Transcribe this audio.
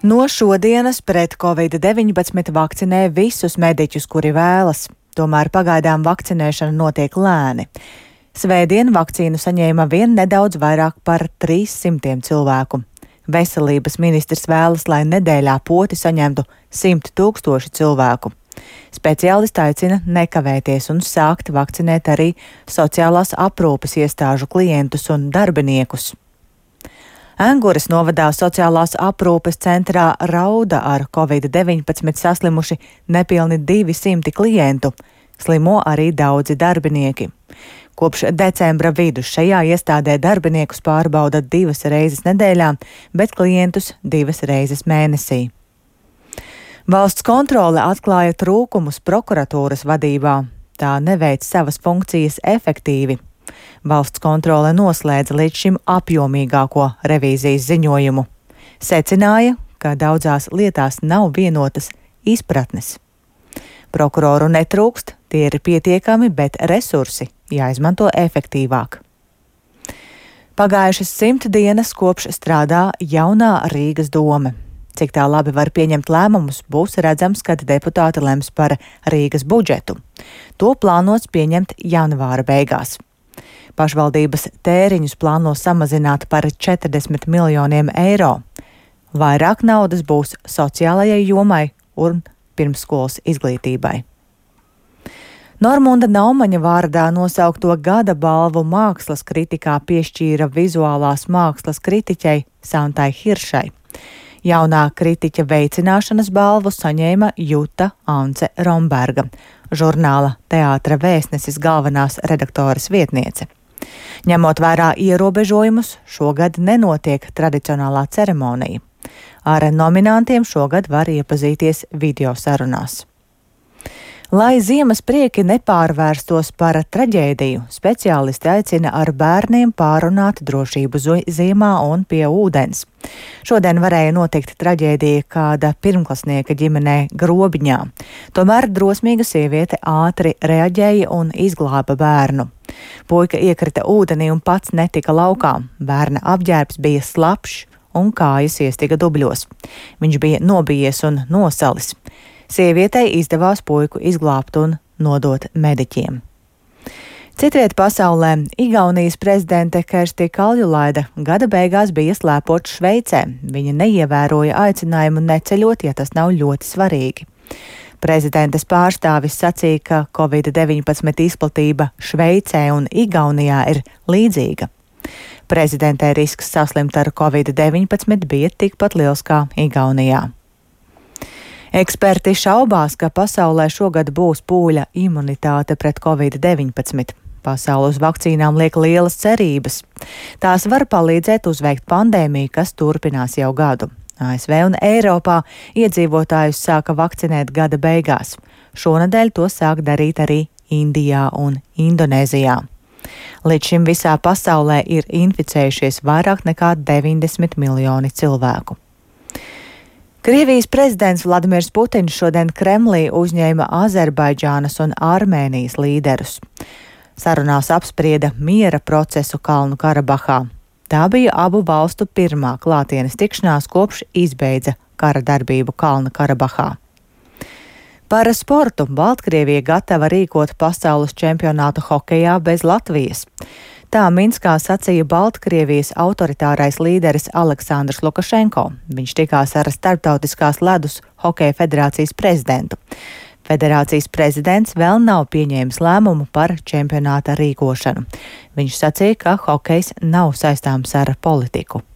No šodienas pret Covid-19 vakcinē visus mediķus, kuri vēlas. Tomēr pagaidām vakcinēšana notiek lēni. Svētdien vakcīnu saņēma vien nedaudz vairāk par 300 cilvēku. Veselības ministrs vēlas, lai nedēļā poti saņemtu 100 000 cilvēku. Speciālisti aicina nekavēties un sākt vakcinēt arī sociālās aprūpes iestāžu klientus un darbiniekus. Enguras novadā sociālās aprūpes centrā Rauda ar Covid-19 saslimuši nepilni 200 klientu. Slimo arī daudzi darbinieki. Kopš decembra vidus šajā iestādē darbiniekus pārbauda 2 reizes nedēļā, bet klientus 2 reizes mēnesī. Valsts kontrole atklāja trūkumus prokuratūras vadībā. Tā neveic savas funkcijas efektīvi. Valsts kontrole noslēdza līdz šim apjomīgāko revīzijas ziņojumu. Secināja, ka daudzās lietās nav vienotas izpratnes. Prokuroru netrūkst, tie ir pietiekami, bet resursi jāizmanto efektīvāk. Pagājušas 100 dienas kopš strādā jaunā Rīgas dome. Cik tā labi var pieņemt lēmumus, būs redzams, kad deputāti lems par Rīgas budžetu. To plānots pieņemt janvāra beigās. Pašvaldības tēriņus plāno samazināt par 40 miljoniem eiro. Vairāk naudas būs sociālajai jomai un pirmsskolas izglītībai. Normunda Naumaņa vārdā nosaukto gada balvu mākslas kritikā piešķīra vizuālās mākslas kritiķei Santai Hiršai. Jaunā kritiķa veicināšanas balvu saņēma Juta Ance Romberga, žurnāla Teātra Vēstnesis galvenās redaktoras vietniece. Ņemot vērā ierobežojumus, šogad nenotiek tradicionālā ceremonija. Ar nominantiem šogad var iepazīties video sarunās. Lai ziemas prieki nepārvērstos par traģēdiju, speciālisti aicina ar bērniem pārunāt drošību ziemā un pie ūdens. Šodien varēja notikt traģēdija kāda pirmklasnieka ģimenē Grobiņā. Tomēr drosmīga sieviete ātri reaģēja un izglāba bērnu. Puika iekrita ūdenī un pats netika laukā. Bērna apģērbs bija slapjš un kājas iestiga dubļos. Viņš bija nobijies un nosalis. Sievietei izdevās puiku izglābt un nodot mediķiem. Citviet pasaulē Igaunijas prezidente Kersti Kaljulaide gada beigās bija slēpot Šveicē. Viņa neievēroja aicinājumu neceļot, ja tas nav ļoti svarīgi. Prezidentes pārstāvis sacīja, ka Covid-19 izplatība Šveicē un Igaunijā ir līdzīga. Prezidentē risks saslimt ar Covid-19 bija tikpat liels kā Igaunijā. Eksperti šaubās, ka pasaulē šogad būs pūļa imunitāte pret Covid-19. Pasaule uz vakcīnām liek lielas cerības. Tās var palīdzēt uzveikt pandēmiju, kas turpinās jau gadu. ASV un Eiropā iedzīvotājus sāka vakcinēt gada beigās. Šonadēļ to sāk darīt arī Indijā un Indonēzijā. Līdz šim visā pasaulē ir inficējušies vairāk nekā 90 miljoni cilvēku. Krievijas prezidents Vladimirs Putins šodien Kremlī uzņēma Azerbaidžānas un Armēnijas līderus. Sarunās apsprieda miera procesu Kalnu Karabahā. Tā bija abu valstu pirmā klātienes tikšanās kopš izbeidza kara darbību Kalnu Karabahā. Par sportu Baltkrievija gatava rīkot pasaules čempionātu hokejā bez Latvijas. Tā Minskā sacīja Baltkrievijas autoritārais līderis Aleksandrs Lukašenko. Viņš tikās ar Starptautiskās ledus hokeja federācijas prezidentu. Federācijas prezidents vēl nav pieņēmis lēmumu par čempionāta rīkošanu. Viņš sacīja, ka hokejs nav saistāms ar politiku.